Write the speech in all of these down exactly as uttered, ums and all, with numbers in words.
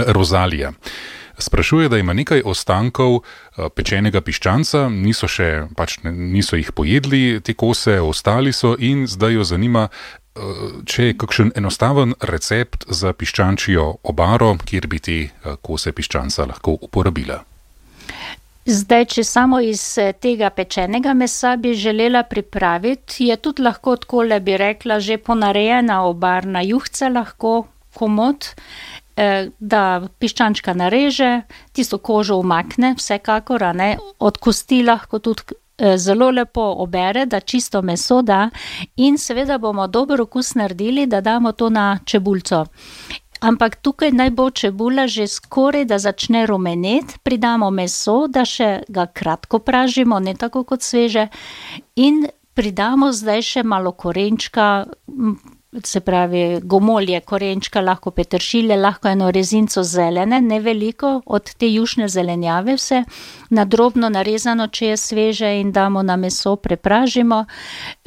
Rozalija sprašuje, da ima nekaj ostankov pečenega piščanca, niso še, pač niso jih pojedli, te kose ostali so in zdaj jo zanima, če je kakšen enostaven recept za piščančjo obaro, kjer bi te kose piščanca lahko uporabila. Zdaj, če samo iz tega pečenega mesa bi želela pripraviti, je tudi lahko takole, bi rekla, že ponarejena obarna juhca lahko komot, da piščančka nareže, tisto kožo umakne, vsekakor, a ne, od kosti lahko tudi zelo lepo obere, da čisto meso da in seveda bomo dober okus naredili, da damo to na čebulco. Ampak tukaj naj bo čebula že skoraj, da začne rumeneti, pridamo meso, da še ga kratko pražimo, ne tako kot sveže, in pridamo zdaj še malo korenčka, se pravi gomolje, korenčka, lahko peteršilje, lahko eno rezinco zelene, ne veliko, od te jušne zelenjave vse, na drobno narezano, če je sveže, in damo na meso, prepražimo,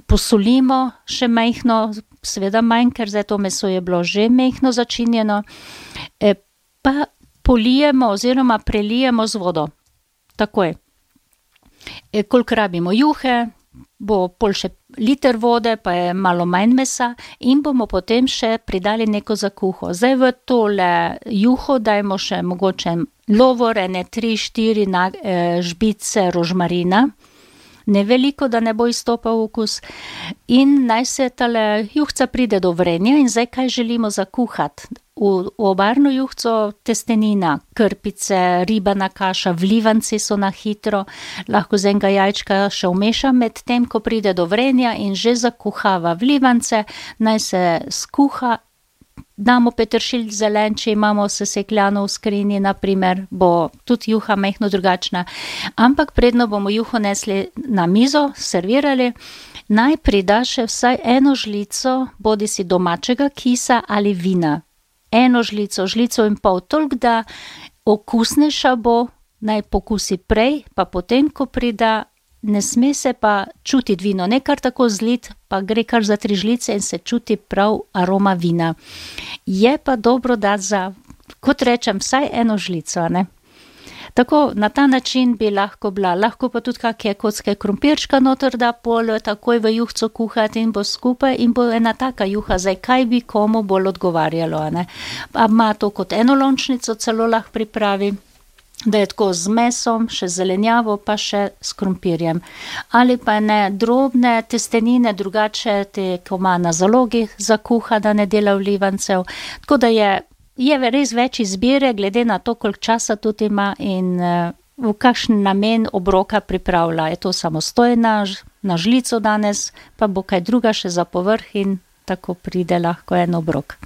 posolimo še majhno, seveda manj, ker zdaj to meso je bilo že majhno začinjeno, pa polijemo oziroma prelijemo z vodo. Takoj. Koliko rabimo juhe, bo pol še liter vode, pa je malo manj mesa in bomo potem še pridali neko zakuho. Zdaj v tole juho dajmo še mogoče lovor, ene tri, štiri žbice rožmarina, ne veliko, da ne bo izstopal okus, in naj se tale juhca pride do vrenja in zdaj kaj želimo zakuhati. V obarno juhco testenina, krpice, ribana kaša, vlivanci so na hitro, lahko z enega jajčka še vmešam med tem, ko pride do vrenja in že zakuhava vlivance, naj se skuha, damo peteršilj zelen, če imamo sesekljano v skrinji, na primer, bo tudi juha majhno drugačna, ampak predno bomo juho nesli na mizo, servirali, naj prida še vsaj eno žlico bodisi domačega kisa ali vina. Eno žlico, žlico in pol, toliko, da okusnejša bo, naj pokusi prej, pa potem, ko prida, ne sme se pa čutiti vino, ne kar tako zlit, pa gre kar za tri žlice in se čuti prav aroma vina. Je pa dobro dati za, kot rečem, vsaj eno žlico, ne. Tako, na ta način bi lahko bila, lahko pa tudi kakšne kocke krompirčka noter da pol, takoj v juhco kuhati in bo skupaj in bo ena taka juha, zdaj kaj bi komu bolj odgovarjalo, ne. Pa ima to kot enolončnico, celo lahko pripravi, da je tako z mesom, še zelenjavo, pa še s krompirjem. Ali pa ne drobne testenine, drugače te, ko ima na zalogi zakuha, da ne dela vlivancev, tako da je Je res več izbire, glede na to, koliko časa tudi ima in v kakšen namen obroka pripravlja. Je to samostojna, na žlico danes, pa bo kaj druga še za povrh in tako pride lahko en obrok.